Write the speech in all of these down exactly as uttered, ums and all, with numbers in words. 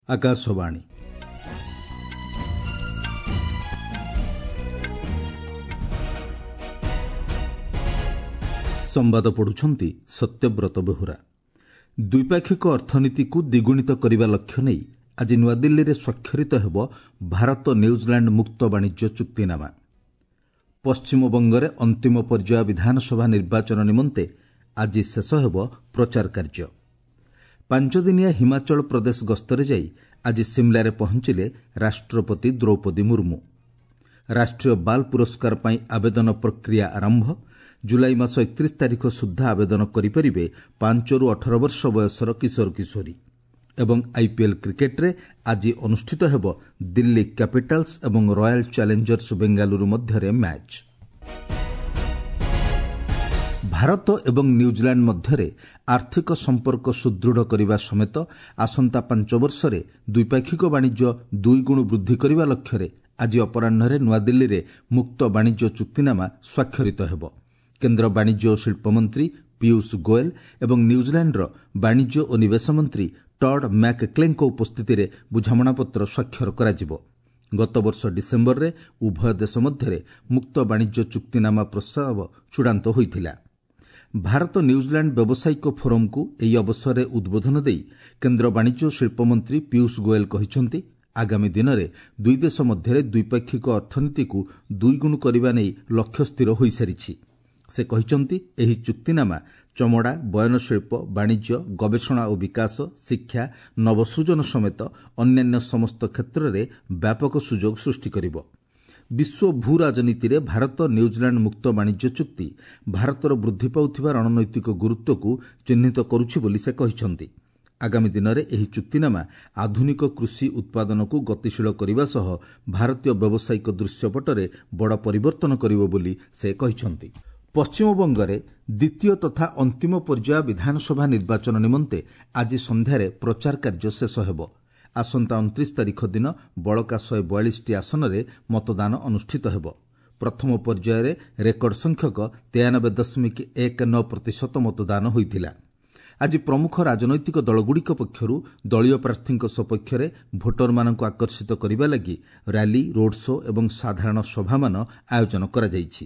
ଆକାଶବାଣୀ। ସମ୍ବାଦ ପଢୁଛନ୍ତି ସତ୍ୟବ୍ରତ ବେହୁରା। ଦ୍ୱିପାକ୍ଷିକ ଅର୍ଥନୀତିକୁ ଦ୍ୱିଗୁଣିତ କରିବା ଲକ୍ଷ୍ୟ ନେଇ ଆଜି ନୂଆଦିଲ୍ଲୀରେ ସ୍ୱାକ୍ଷରିତ ହେବ ଭାରତ ନ୍ୟୁଜିଲାଣ୍ଡ ମୁକ୍ତ ବାଣିଜ୍ୟ ଚୁକ୍ତିନାମା। ପଶ୍ଚିମବଙ୍ଗରେ ଅନ୍ତିମ ପର୍ଯ୍ୟାୟ ବିଧାନସଭା ନିର୍ବାଚନ ନିମନ୍ତେ ଆଜି ଶେଷ ହେବ ପ୍ରଚାର କାର୍ଯ୍ୟ। ପାଞ୍ଚଦିନିଆ ହିମାଚଳ ପ୍ରଦେଶ ଗସ୍ତରେ ଯାଇ ଆଜି ସିମ୍ଲାରେ ପହଞ୍ଚିଲେ ରାଷ୍ଟ୍ରପତି ଦ୍ରୌପଦୀ ମୁର୍ମୁ। ରାଷ୍ଟ୍ରୀୟ ବାଲ୍ ପୁରସ୍କାର ପାଇଁ ଆବେଦନ ପ୍ରକ୍ରିୟା ଆରମ୍ଭ। ଜୁଲାଇ ମାସ ଏକତିରିଶ ତାରିଖ ସୁଦ୍ଧା ଆବେଦନ କରିପାରିବେ ପାଞ୍ଚରୁ ଅଠର ବର୍ଷ ବୟସର କିଶୋର କିଶୋରୀ। ଏବଂ ଆଇପିଏଲ୍ କ୍ରିକେଟ୍ରେ ଆଜି ଅନୁଷ୍ଠିତ ହେବ ଦିଲ୍ଲୀ କ୍ୟାପିଟାଲ୍ସ ଏବଂ ରୟାଲ୍ ଚ୍ୟାଲେଞ୍ଜର୍ସ ବେଙ୍ଗାଲୁରୁ ମଧ୍ୟରେ ମ୍ୟାଚ୍। ଭାରତ ଏବଂ ନ୍ୟୁଜିଲାଣ୍ଡ ମଧ୍ୟରେ ଆର୍ଥିକ ସମ୍ପର୍କ ସୁଦୃଢ଼ କରିବା ସମେତ ଆସନ୍ତା ପାଞ୍ଚ ବର୍ଷରେ ଦ୍ୱିପାକ୍ଷିକ ବାଣିଜ୍ୟ ଦୁଇଗୁଣ ବୃଦ୍ଧି କରିବା ଲକ୍ଷ୍ୟରେ ଆଜି ଅପରାହ୍ନରେ ନୂଆଦିଲ୍ଲୀରେ ମୁକ୍ତ ବାଣିଜ୍ୟ ଚୁକ୍ତିନାମା ସ୍ୱାକ୍ଷରିତ ହେବ। କେନ୍ଦ୍ର ବାଣିଜ୍ୟ ଓ ଶିଳ୍ପମନ୍ତ୍ରୀ ପୀୟୁଷ ଗୋଏଲ୍ ଏବଂ ନ୍ୟୁଜିଲାଣ୍ଡର ବାଣିଜ୍ୟ ଓ ନିବେଶ ମନ୍ତ୍ରୀ ଟଡ୍ ମ୍ୟାକ୍କ୍ଲେଙ୍କ ଉପସ୍ଥିତିରେ ବୁଝାମଣାପତ୍ର ସ୍ୱାକ୍ଷର କରାଯିବ। ଗତବର୍ଷ ଡିସେମ୍ବରରେ ଉଭୟ ଦେଶ ମଧ୍ୟରେ ମୁକ୍ତ ବାଣିଜ୍ୟ ଚୁକ୍ତିନାମା ପ୍ରସ୍ତାବ ଚୂଡ଼ାନ୍ତ ହୋଇଥିଲା। ଭାରତ ନ୍ୟୁଜିଲାଣ୍ଡ ବ୍ୟବସାୟିକ ଫୋରମ୍କୁ ଏହି ଅବସରରେ ଉଦ୍ବୋଧନ ଦେଇ କେନ୍ଦ୍ର ବାଣିଜ୍ୟ ଓ ଶିଳ୍ପମନ୍ତ୍ରୀ ପୀୟୁଷ ଗୋଏଲ୍ କହିଛନ୍ତି, ଆଗାମୀ ଦିନରେ ଦୁଇ ଦେଶ ମଧ୍ୟରେ ଦ୍ୱିପାକ୍ଷିକ ଅର୍ଥନୀତିକୁ ଦୁଇଗୁଣ କରିବା ନେଇ ଲକ୍ଷ୍ୟ ସ୍ଥିର ହୋଇସାରିଛି। ସେ କହିଛନ୍ତି, ଏହି ଚୁକ୍ତିନାମା ଚମଡ଼ା, ବୟନଶିଳ୍ପ, ବାଣିଜ୍ୟ, ଗବେଷଣା ଓ ବିକାଶ, ଶିକ୍ଷା, ନବସୃଜନ ସମେତ ଅନ୍ୟାନ୍ୟ ସମସ୍ତ କ୍ଷେତ୍ରରେ ବ୍ୟାପକ ସୁଯୋଗ ସୃଷ୍ଟି କରିବ। ବିଶ୍ୱ ଭୂ ରାଜନୀତିରେ ଭାରତ ନ୍ୟୁଜିଲାଣ୍ଡ ମୁକ୍ତ ବାଣିଜ୍ୟ ଚୁକ୍ତି ଭାରତର ବୃଦ୍ଧି ପାଉଥିବା ରଣନୈତିକ ଗୁରୁତ୍ୱକୁ ଚିହ୍ନିତ କରୁଛି ବୋଲି ସେ କହିଛନ୍ତି। ଆଗାମୀ ଦିନରେ ଏହି ଚୁକ୍ତିନାମା ଆଧୁନିକ କୃଷି ଉତ୍ପାଦନକୁ ଗତିଶୀଳ କରିବା ସହ ଭାରତୀୟ ବ୍ୟବସାୟିକ ଦୃଶ୍ୟପଟରେ ବଡ଼ ପରିବର୍ତ୍ତନ କରିବ ବୋଲି ସେ କହିଛନ୍ତି। ପଶ୍ଚିମବଙ୍ଗରେ ଦ୍ୱିତୀୟ ତଥା ଅନ୍ତିମ ପର୍ଯ୍ୟାୟ ବିଧାନସଭା ନିର୍ବାଚନ ନିମନ୍ତେ ଆଜି ସନ୍ଧ୍ୟାରେ ପ୍ରଚାର କାର୍ଯ୍ୟ ଶେଷ ହେବ। ଆସନ୍ତା ଅଣତିରିଶ ତାରିଖ ଦିନ ବଳକା ଶହେ ବୟାଳିଶଟି ଆସନରେ ମତଦାନ ଅନୁଷ୍ଠିତ ହେବ। ପ୍ରଥମ ପର୍ଯ୍ୟାୟରେ ରେକର୍ଡ ସଂଖ୍ୟକ ତେୟାନବେ ଦଶମିକ ଏକ ନଅ ପ୍ରତିଶତ ମତଦାନ ହୋଇଥିଲା। ଆଜି ପ୍ରମୁଖ ରାଜନୈତିକ ଦଳଗୁଡ଼ିକ ପକ୍ଷରୁ ଦଳୀୟ ପ୍ରାର୍ଥୀଙ୍କ ସପକ୍ଷରେ ଭୋଟରମାନଙ୍କୁ ଆକର୍ଷିତ କରିବା ଲାଗି ର୍ୟାଲି, ରୋଡ୍ ଶୋ ଏବଂ ସାଧାରଣ ସଭାମାନ ଆୟୋଜନ କରାଯାଇଛି।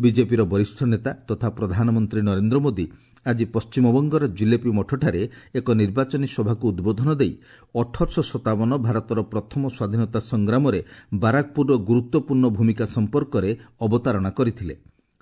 ବିଜେପିର ବରିଷ୍ଠ ନେତା ତଥା ପ୍ରଧାନମନ୍ତ୍ରୀ ନରେନ୍ଦ୍ର ମୋଦି ଆଜି ପଶ୍ଚିମବଙ୍ଗର ଜିଲେପି ମଠଠାରେ ଏକ ନିର୍ବାଚନୀ ସଭାକୁ ଉଦ୍ବୋଧନ ଦେଇ ଅଠରଶହ ସତାବନ ଭାରତର ପ୍ରଥମ ସ୍ୱାଧୀନତା ସଂଗ୍ରାମରେ ବାରାକପୁରର ଗୁରୁତ୍ୱପୂର୍ଣ୍ଣ ଭୂମିକା ସମ୍ପର୍କରେ ଅବତାରଣା କରିଥିଲେ।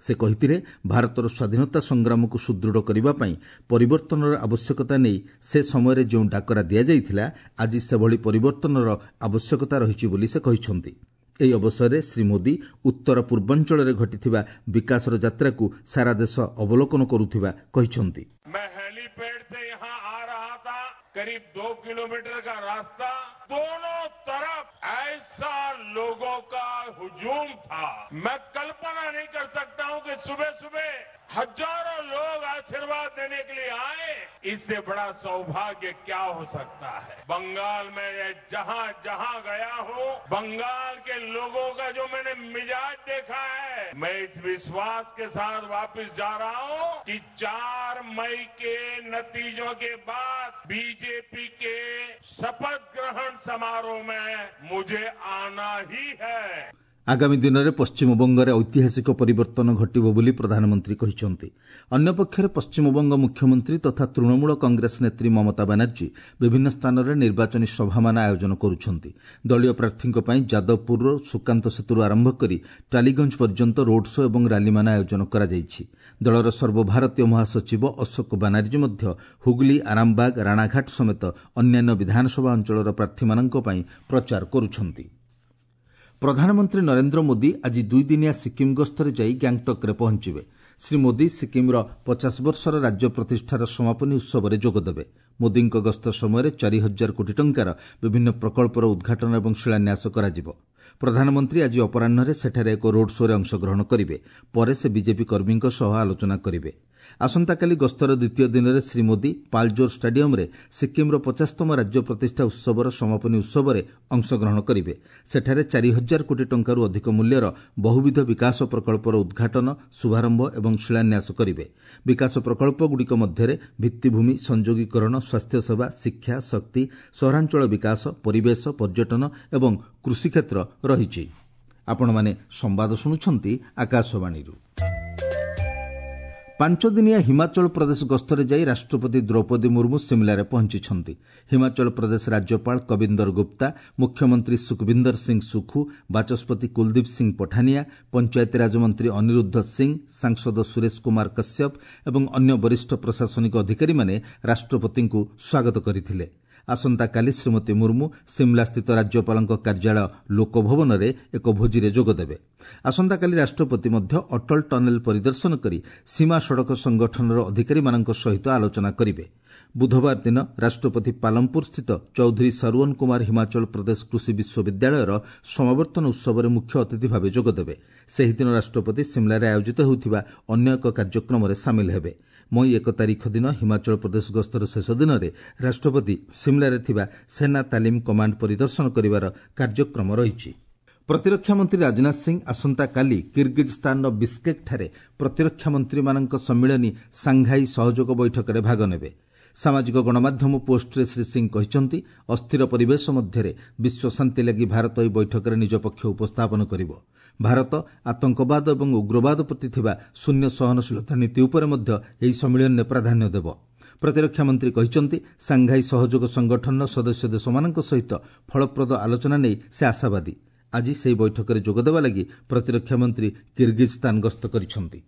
ସେ କହିଥିଲେ, ଭାରତର ସ୍ୱାଧୀନତା ସଂଗ୍ରାମକୁ ସୁଦୃଢ଼ କରିବା ପାଇଁ ପରିବର୍ତ୍ତନର ଆବଶ୍ୟକତା ନେଇ ସେ ସମୟରେ ଯେଉଁ ଡାକରା ଦିଆଯାଇଥିଲା, ଆଜି ସେଭଳି ପରିବର୍ତ୍ତନର ଆବଶ୍ୟକତା ରହିଛି ବୋଲି ସେ କହିଛନ୍ତି। ଏହି ଅବସରରେ ଶ୍ରୀ ମୋଦି ଉତ୍ତର ପୂର୍ବାଞ୍ଚଳରେ ଘଟିଥିବା ବିକାଶର ଯାତ୍ରାକୁ ସାରା ଦେଶ ଅବଲୋକନ କରୁଥିବା କହିଛନ୍ତି। मैं हेलीपैड से यहाँ आ रहा था, करीब दो किलोमीटर का रास्ता, दोनों तरफ ऐसा लोगों का हुजूम था, मैं कल्पना नहीं कर सकता हूँ कि सुबह सुबह हजारों लोग आशीर्वाद देने के लिए आए। इससे बड़ा सौभाग्य क्या हो सकता है। बंगाल में जहां जहां गया हूं, बंगाल के लोगों का जो मैंने मिजाज देखा है, मैं इस विश्वास के साथ वापस जा रहा हूं कि चार मई के नतीजों के बाद बीजेपी के शपथ ग्रहण समारोह में मुझे आना ही है। ଆଗାମୀ ଦିନରେ ପଶ୍ଚିମବଙ୍ଗରେ ଐତିହାସିକ ପରିବର୍ତ୍ତନ ଘଟିବ ବୋଲି ପ୍ରଧାନମନ୍ତ୍ରୀ କହିଛନ୍ତି। ଅନ୍ୟପକ୍ଷରେ ପଶ୍ଚିମବଙ୍ଗ ମୁଖ୍ୟମନ୍ତ୍ରୀ ତଥା ତୃଣମୂଳ କଂଗ୍ରେସ ନେତ୍ରୀ ମମତା ବାନାର୍ଜୀ ବିଭିନ୍ନ ସ୍ଥାନରେ ନିର୍ବାଚନୀ ସଭାମାନ ଆୟୋଜନ କରୁଛନ୍ତି। ଦଳୀୟ ପ୍ରାର୍ଥୀଙ୍କ ପାଇଁ ଯାଦବପୁରର ସୁକାନ୍ତ ସେତୁରୁ ଆରମ୍ଭ କରି ଟାଲିଗଞ୍ଜ ପର୍ଯ୍ୟନ୍ତ ରୋଡ୍ ଶୋ ଏବଂ ର୍ୟାଲିମାନ ଆୟୋଜନ କରାଯାଇଛି। ଦଳର ସର୍ବଭାରତୀୟ ମହାସଚିବ ଅଶୋକ ବାନାର୍ଜୀ ମଧ୍ୟ ହୁଗୁଲି, ଆରାମବାଗ, ରାଣାଘାଟ ସମେତ ଅନ୍ୟାନ୍ୟ ବିଧାନସଭା ଅଞ୍ଚଳର ପ୍ରାର୍ଥୀମାନଙ୍କ ପାଇଁ ପ୍ରଚାର କରୁଛନ୍ତି। ପ୍ରଧାନମନ୍ତ୍ରୀ ନରେନ୍ଦ୍ର ମୋଦି ଆଜି ଦୁଇଦିନିଆ ସିକିମ୍ ଗସ୍ତରେ ଯାଇ ଗ୍ୟାଙ୍ଗଟକ୍ରେ ପହଞ୍ଚିବେ। ଶ୍ରୀ ମୋଦି ସିକିମ୍ର ପଚାଶ ବର୍ଷର ରାଜ୍ୟ ପ୍ରତିଷ୍ଠାର ସମାପନୀ ଉତ୍ସବରେ ଯୋଗଦେବେ। ମୋଦିଙ୍କ ଗସ୍ତ ସମୟରେ ଚାରି ହଜାର କୋଟି ଟଙ୍କାର ବିଭିନ୍ନ ପ୍ରକଳ୍ପର ଉଦ୍ଘାଟନ ଏବଂ ଶିଳାନ୍ୟାସ କରାଯିବ। ପ୍ରଧାନମନ୍ତ୍ରୀ ଆଜି ଅପରାହ୍ନରେ ସେଠାରେ ଏକ ରୋଡ୍ ଶୋ'ରେ ଅଂଶଗ୍ରହଣ କରିବେ। ପରେ ସେ ବିଜେପି କର୍ମୀଙ୍କ ସହ ଆଲୋଚନା କରିବେ। ଆସନ୍ତାକାଲି ଗସ୍ତର ଦ୍ୱିତୀୟ ଦିନରେ ଶ୍ରୀ ମୋଦି ପାଲଜୋର ଷ୍ଟାଡିୟମ୍ରେ ସିକ୍କିମ୍ର ପଚାଶତମ ରାଜ୍ୟ ପ୍ରତିଷ୍ଠା ଉତ୍ସବର ସମାପନୀ ଉତ୍ସବରେ ଅଂଶଗ୍ରହଣ କରିବେ। ସେଠାରେ ଚାରି ହଜାର କୋଟି ଟଙ୍କାରୁ ଅଧିକ ମୂଲ୍ୟର ବହୁବିଧ ବିକାଶ ପ୍ରକଳ୍ପର ଉଦ୍ଘାଟନ, ଶୁଭାରମ୍ଭ ଏବଂ ଶିଳାନ୍ୟାସ କରିବେ। ବିକାଶ ପ୍ରକଳ୍ପଗୁଡ଼ିକ ମଧ୍ୟରେ ଭିତ୍ତିଭୂମି, ସଂଯୋଗୀକରଣ, ସ୍ୱାସ୍ଥ୍ୟସେବା, ଶିକ୍ଷା, ଶକ୍ତି, ସହରାଞ୍ଚଳ ବିକାଶ, ପରିବେଶ, ପର୍ଯ୍ୟଟନ ଏବଂ କୃଷିକ୍ଷେତ୍ର ରହିଛି। ଆପଣମାନେ ସମ୍ବାଦ ଶୁଣୁଛନ୍ତି ଆକାଶବାଣୀରୁ। ପାଞ୍ଚଦିନିଆ ହିମାଚଳ ପ୍ରଦେଶ ଗସ୍ତରେ ଯାଇ ରାଷ୍ଟ୍ରପତି ଦ୍ରୌପଦୀ ମୁର୍ମୁ ସିମଲାରେ ପହଞ୍ଚିଛନ୍ତି। ହିମାଚଳ ପ୍ରଦେଶ ରାଜ୍ୟପାଳ କବିନ୍ଦର ଗୁପ୍ତା, ମୁଖ୍ୟମନ୍ତ୍ରୀ ସୁଖବିନ୍ଦର ସିଂ ସୁଖୁ, ବାଚସ୍ପତି କୁଲଦୀପ ସିଂ ପଠାନିଆ, ପଞ୍ଚାୟତିରାଜ ମନ୍ତ୍ରୀ ଅନିରୁଦ୍ଧ ସିଂ, ସାଂସଦ ସୁରେଶ କୁମାର କଶ୍ୟପ ଏବଂ ଅନ୍ୟ ବରିଷ୍ଠ ପ୍ରଶାସନିକ ଅଧିକାରୀମାନେ ରାଷ୍ଟ୍ରପତିଙ୍କୁ ସ୍ୱାଗତ କରିଥିଲେ। ଆସନ୍ତାକାଲି ଶ୍ରୀମତୀ ମୁର୍ମୁ ସିମଲାସ୍ଥିତ ରାଜ୍ୟପାଳଙ୍କ କାର୍ଯ୍ୟାଳୟ ଲୋକଭବନରେ ଏକ ଭୋଜିରେ ଯୋଗଦେବେ। ଆସନ୍ତାକାଲି ରାଷ୍ଟ୍ରପତି ମଧ୍ୟ ଅଟଳ ଟନେଲ ପରିଦର୍ଶନ କରି ସୀମା ସଡ଼କ ସଂଗଠନର ଅଧିକାରୀମାନଙ୍କ ସହିତ ଆଲୋଚନା କରିବେ। ବୁଧବାର ଦିନ ରାଷ୍ଟ୍ରପତି ପାଲମପୁରସ୍ଥିତ ଚୌଧୁରୀ ସରୱନ କୁମାର ହିମାଚଳ ପ୍ରଦେଶ କୃଷି ବିଶ୍ୱବିଦ୍ୟାଳୟର ସମାବର୍ତ୍ତନ ଉତ୍ସବରେ ମୁଖ୍ୟ ଅତିଥି ଭାବେ ଯୋଗଦେବେ। ସେହିଦିନ ରାଷ୍ଟ୍ରପତି ସିମଲାରେ ଆୟୋଜିତ ହେଉଥିବା ଅନ୍ୟ ଏକ କାର୍ଯ୍ୟକ୍ରମରେ ସାମିଲ ହେବେ। ମଇ ଏକ ତାରିଖ ଦିନ ହିମାଚଳ ପ୍ରଦେଶ ଗସ୍ତର ଶେଷ ଦିନରେ ରାଷ୍ଟ୍ରପତି ସିମଲାରେ ଥିବା ସେନା ତାଲିମ କମାଣ୍ଡ ପରିଦର୍ଶନ କରିବାର କାର୍ଯ୍ୟକ୍ରମ ରହିଛି। ପ୍ରତିରକ୍ଷା ମନ୍ତ୍ରୀ ରାଜନାଥ ସିଂ ଆସନ୍ତାକାଲି କିର୍ଗିଜ୍ସ୍ତାନର ବିସ୍କେକ୍ଠାରେ ପ୍ରତିରକ୍ଷା ମନ୍ତ୍ରୀମାନଙ୍କ ସମ୍ମିଳନୀ ସାଂଘାଇ ସହଯୋଗ ବୈଠକରେ ଭାଗ ନେବେ। ସାମାଜିକ ଗଣମାଧ୍ୟମ ପୋଷ୍ଟରେ ଶ୍ରୀ ସିଂ କହିଛନ୍ତି, ଅସ୍ଥିର ପରିବେଶ ମଧ୍ୟରେ ବିଶ୍ୱ ଶାନ୍ତି ଲାଗି ଭାରତ ଏହି ବୈଠକରେ ନିଜ ପକ୍ଷ ଉପସ୍ଥାପନ କରିବ। ଭାରତ ଆତଙ୍କବାଦ ଏବଂ ଉଗ୍ରବାଦ ପ୍ରତି ଥିବା ଶୂନ୍ୟ ସହନଶୀଳତା ନୀତି ଉପରେ ମଧ୍ୟ ଏହି ସମ୍ମିଳନୀରେ ପ୍ରାଧାନ୍ୟ ଦେବ। ପ୍ରତିରକ୍ଷା ମନ୍ତ୍ରୀ କହିଛନ୍ତି, ସାଂଘାଇ ସହଯୋଗ ସଂଗଠନର ସଦସ୍ୟ ଦେଶମାନଙ୍କ ସହିତ ଫଳପ୍ରଦ ଆଲୋଚନା ନେଇ ସେ ଆଶାବାଦୀ। ଆଜି ସେହି ବୈଠକରେ ଯୋଗଦେବା ଲାଗି ପ୍ରତିରକ୍ଷା ମନ୍ତ୍ରୀ କିର୍ଗିଜ୍ସ୍ତାନ ଗସ୍ତ କରିଛନ୍ତି।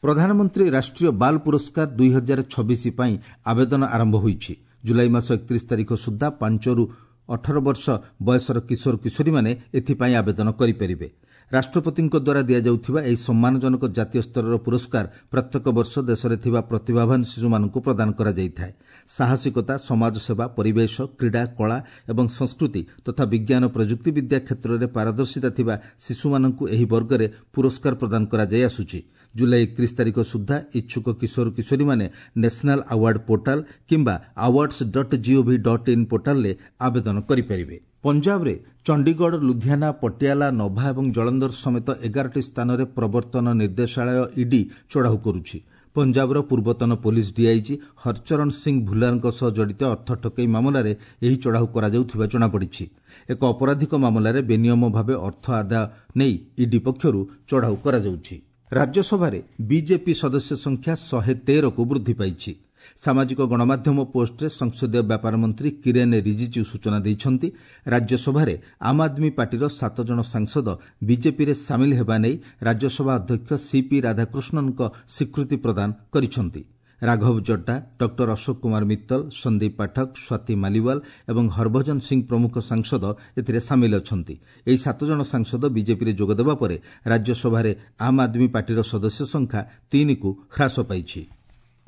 ପ୍ରଧାନମନ୍ତ୍ରୀ ରାଷ୍ଟ୍ରୀୟ ବାଲ ପୁରସ୍କାର ଦୁଇ ହଜାର ଛବିଶ ପାଇଁ ଆବେଦନ ଆରମ୍ଭ ହୋଇଛି। ଜୁଲାଇ ମାସ ଏକତିରିଶ ତାରିଖ ସୁଦ୍ଧା ପାଞ୍ଚରୁ ଅଠର ବର୍ଷ ବୟସର କିଶୋର କିଶୋରୀମାନେ ଏଥିପାଇଁ ଆବେଦନ କରିପାରିବେ। ରାଷ୍ଟ୍ରପତିଙ୍କ ଦ୍ୱାରା ଦିଆଯାଉଥିବା ଏହି ସମ୍ମାନଜନକ ଜାତୀୟ ସ୍ତରର ପୁରସ୍କାର ପ୍ରତ୍ୟେକ ବର୍ଷ ଦେଶରେ ଥିବା ପ୍ରତିଭାବାନ ଶିଶୁମାନଙ୍କୁ ପ୍ରଦାନ କରାଯାଇଥାଏ। ସାହସିକତା, ସମାଜସେବା, ପରିବେଶ, କ୍ରୀଡ଼ା, କଳା ଏବଂ ସଂସ୍କୃତି ତଥା ବିଜ୍ଞାନ ପ୍ରଯୁକ୍ତିବିଦ୍ୟା କ୍ଷେତ୍ରରେ ପାରଦର୍ଶିତା ଥିବା ଶିଶୁମାନଙ୍କୁ ଏହି ବର୍ଗରେ ପୁରସ୍କାର ପ୍ରଦାନ କରାଯାଇ ଆସୁଛି। ଜୁଲାଇ ଏକତିରିଶ ତାରିଖ ସୁଦ୍ଧା ଇଚ୍ଛୁକ କିଶୋର କିଶୋରୀମାନେ ନ୍ୟାସନାଲ୍ ଆୱାର୍ଡ ପୋର୍ଟାଲ କିମ୍ବା awards dot gov dot in ପୋର୍ଟାଲରେ ଆବେଦନ କରିପାରିବେ। ପଞ୍ଜାବରେ ଚଣ୍ଡିଗଡ଼, ଲୁଧିଆନା, ପଟିଆଲା, ନଭା ଏବଂ ଜଳନ୍ଧର ସମେତ ଏଗାରଟି ସ୍ଥାନରେ ପ୍ରବର୍ତ୍ତନ ନିର୍ଦ୍ଦେଶାଳୟ ଇଡି ଚଢ଼ାଉ କରୁଛି। ପଞ୍ଜାବର ପୂର୍ବତନ ପୋଲିସ ଡିଆଇଜି ହରଚରଣ ସିଂ ଭୁଲ୍ଲାରଙ୍କ ସହ ଜଡ଼ିତ ଅର୍ଥ ଠକେଇ ମାମଲାରେ ଏହି ଚଢ଼ାଉ କରାଯାଉଥିବା ଜଣାପଡ଼ିଛି। ଏକ ଅପରାଧିକ ମାମଲାରେ ବେନିୟମ ଭାବେ ଅର୍ଥ ଆଦାୟ ନେଇ ଇଡି ପକ୍ଷରୁ ଚଢ଼ାଉ କରାଯାଉଛି। ରାଜ୍ୟସଭାରେ ବିଜେପି ସଦସ୍ୟ ସଂଖ୍ୟା ଶହେ ତେରକୁ ବୃଦ୍ଧି ପାଇଛି। ସାମାଜିକ ଗଣମାଧ୍ୟମ ପୋଷ୍ଟରେ ସଂସଦୀୟ ବ୍ୟାପାର ମନ୍ତ୍ରୀ କିରେନ୍ ରିଜିଜୁ ସୂଚନା ଦେଇଛନ୍ତି, ରାଜ୍ୟସଭାରେ ଆମ୍ ଆଦମୀ ପାର୍ଟିର ସାତ ଜଣ ସାଂସଦ ବିଜେପିରେ ସାମିଲ ହେବା ନେଇ ରାଜ୍ୟସଭା ଅଧ୍ୟକ୍ଷ ସିପି ରାଧାକୃଷ୍ଣନଙ୍କ ସ୍ୱୀକୃତି ପ୍ରଦାନ କରିଛନ୍ତି। ରାଘବ ଚଡ୍ଡା, ଡକ୍ଟର ଅଶୋକ କୁମାର ମିତ୍ତଲ, ସନ୍ଦୀପ ପାଠକ, ସ୍ୱାତୀ ମାଲିୱାଲ ଏବଂ ହରଭଜନ ସିଂ ପ୍ରମୁଖ ସାଂସଦ ଏଥିରେ ସାମିଲ ଅଛନ୍ତି। ଏହି ସାତ ଜଣ ସାଂସଦ ବିଜେପିରେ ଯୋଗଦେବା ପରେ ରାଜ୍ୟସଭାରେ ଆମ୍ ଆଦମୀ ପାର୍ଟିର ସଦସ୍ୟ ସଂଖ୍ୟା ତିନିକୁ ହ୍ରାସ ପାଇଛି।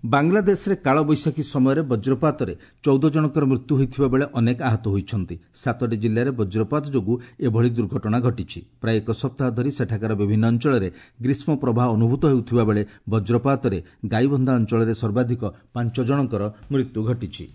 ବାଂଲାଦେଶରେ କାଳବୈଶାଖୀ ସମୟରେ ବଜ୍ରପାତରେ ଚଉଦ ଜଣଙ୍କର ମୃତ୍ୟୁ ହୋଇଥିବା ବେଳେ ଅନେକ ଆହତ ହୋଇଛନ୍ତି। ସାତଟି ଜିଲ୍ଲାରେ ବଜ୍ରପାତ ଯୋଗୁଁ ଏଭଳି ଦୁର୍ଘଟଣା ଘଟିଛି। ପ୍ରାୟ ଏକ ସପ୍ତାହ ଧରି ସେଠାକାର ବିଭିନ୍ନ ଅଞ୍ଚଳରେ ଗ୍ରୀଷ୍ମ ପ୍ରବାହ ଅନୁଭୂତ ହେଉଥିବା ବେଳେ ବଜ୍ରପାତରେ ଗାଇବନ୍ଧା ଅଞ୍ଚଳରେ ସର୍ବାଧିକ ପାଞ୍ଚ ଜଣଙ୍କର ମୃତ୍ୟୁ ଘଟିଛି।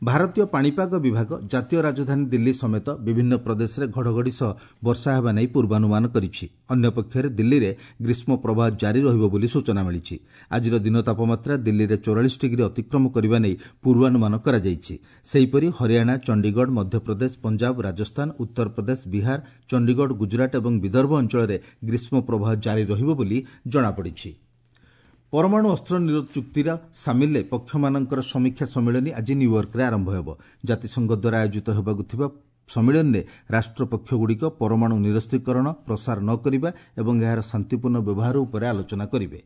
ଭାରତୀୟ ପାଣିପାଗ ବିଭାଗ ଜାତୀୟ ରାଜଧାନୀ ଦିଲ୍ଲୀ ସମେତ ବିଭିନ୍ନ ପ୍ରଦେଶରେ ଘଡ଼ଘଡ଼ି ସହ ବର୍ଷା ହେବା ନେଇ ପୂର୍ବାନୁମାନ କରିଛି। ଅନ୍ୟପକ୍ଷରେ ଦିଲ୍ଲୀରେ ଗ୍ରୀଷ୍ମ ପ୍ରବାହ ଜାରି ରହିବ ବୋଲି ସୂଚନା ମିଳିଛି। ଆଜିର ଦିନ ତାପମାତ୍ରା ଦିଲ୍ଲୀରେ ଚଉରାଳିଶ ଡିଗ୍ରୀ ଅତିକ୍ରମ କରିବା ନେଇ ପୂର୍ବାନୁମାନ କରାଯାଇଛି। ସେହିପରି ହରିୟାଣା, ଚଣ୍ଡିଗଡ଼, ମଧ୍ୟପ୍ରଦେଶ, ପଞ୍ଜାବ, ରାଜସ୍ଥାନ, ଉତ୍ତରପ୍ରଦେଶ, ବିହାର, ଚଣ୍ଡିଗଡ଼, ଗୁଜରାଟ ଏବଂ ବିଦର୍ଭ ଅଞ୍ଚଳରେ ଗ୍ରୀଷ୍ମ ପ୍ରବାହ ଜାରି ରହିବ ବୋଲି ଜଣାପଡ଼ିଛି। ପରମାଣୁ ଅସ୍ତ୍ର ନିରୋଧ ଚୁକ୍ତିର ସାମିଲରେ ପକ୍ଷମାନଙ୍କର ସମୀକ୍ଷା ସମ୍ମିଳନୀ ଆଜି ନ୍ୟୁୟର୍କରେ ଆରମ୍ଭ ହେବ। ଜାତିସଂଘ ଦ୍ୱାରା ଆୟୋଜିତ ହେବାକୁ ଥିବା ସମ୍ମିଳନୀରେ ରାଷ୍ଟ୍ରପକ୍ଷଗୁଡ଼ିକ ପରମାଣୁ ନିରସ୍ତ୍ରୀକରଣ, ପ୍ରସାର ନ କରିବା ଏବଂ ଏହାର ଶାନ୍ତିପୂର୍ଣ୍ଣ ବ୍ୟବହାର ଉପରେ ଆଲୋଚନା କରିବେ।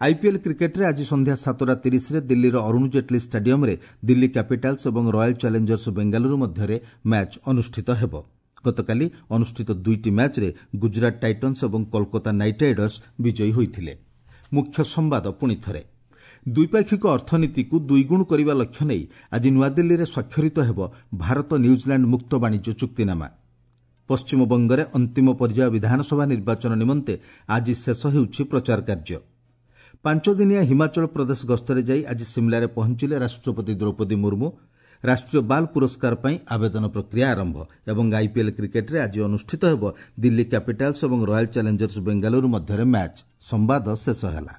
ଆଇପିଏଲ୍ କ୍ରିକେଟ୍ରେ ଆଜି ସନ୍ଧ୍ୟା ସାତଟା ତିରିଶରେ ଦିଲ୍ଲୀର ଅରୁଣ ଜେଟ୍ଲୀ ଷ୍ଟାଡିୟମ୍ରେ ଦିଲ୍ଲୀ କ୍ୟାପିଟାଲ୍ସ ଏବଂ ରୟାଲ୍ ଚ୍ୟାଲେଞ୍ଜର୍ସ ବେଙ୍ଗାଲୁରୁ ମଧ୍ୟରେ ମ୍ୟାଚ୍ ଅନୁଷ୍ଠିତ ହେବ। ଗତକାଲି ଅନୁଷ୍ଠିତ ଦୁଇଟି ମ୍ୟାଚ୍ରେ ଗୁଜରାଟ ଟାଇଟନ୍ସ ଏବଂ କୋଲକାତା ନାଇଟ୍ ରାଇଡର୍ସ ବିଜୟୀ ହୋଇଥିଲେ। ମୁଖ୍ୟ ସମ୍ବାଦ ପୁଣି ଥରେ, ଦ୍ୱିପାକ୍ଷିକ ଅର୍ଥନୀତିକୁ ଦୁଇଗୁଣ କରିବା ଲକ୍ଷ୍ୟ ନେଇ ଆଜି ନୂଆଦିଲ୍ଲୀରେ ସ୍ୱାକ୍ଷରିତ ହେବ ଭାରତ ନ୍ୟୁଜିଲାଣ୍ଡ ମୁକ୍ତ ବାଣିଜ୍ୟ ଚୁକ୍ତିନାମା। ପଶ୍ଚିମବଙ୍ଗରେ ଅନ୍ତିମ ପର୍ଯ୍ୟାୟ ବିଧାନସଭା ନିର୍ବାଚନ ନିମନ୍ତେ ଆଜି ଶେଷ ହେଉଛି ପ୍ରଚାର କାର୍ଯ୍ୟ। ପାଞ୍ଚଦିନିଆ ହିମାଚଳ ପ୍ରଦେଶ ଗସ୍ତରେ ଯାଇ ଆଜି ସିମ୍ଲାରେ ପହଞ୍ଚିଲେ ରାଷ୍ଟ୍ରପତି ଦ୍ରୌପଦୀ ମୁର୍ମୁ। ରାଷ୍ଟ୍ରୀୟ ବାଲ୍ ପୁରସ୍କାର ପାଇଁ ଆବେଦନ ପ୍ରକ୍ରିୟା ଆରମ୍ଭ। ଏବଂ ଆଇପିଏଲ୍ କ୍ରିକେଟ୍ରେ ଆଜି ଅନୁଷ୍ଠିତ ହେବ ଦିଲ୍ଲୀ କ୍ୟାପିଟାଲ୍ସ ଏବଂ ରୟାଲ୍ ଚ୍ୟାଲେଞ୍ଜର୍ସ ବେଙ୍ଗାଲୁରୁ ମଧ୍ୟରେ ମ୍ୟାଚ୍। ସମ୍ବାଦ ଶେଷ ହେଲା।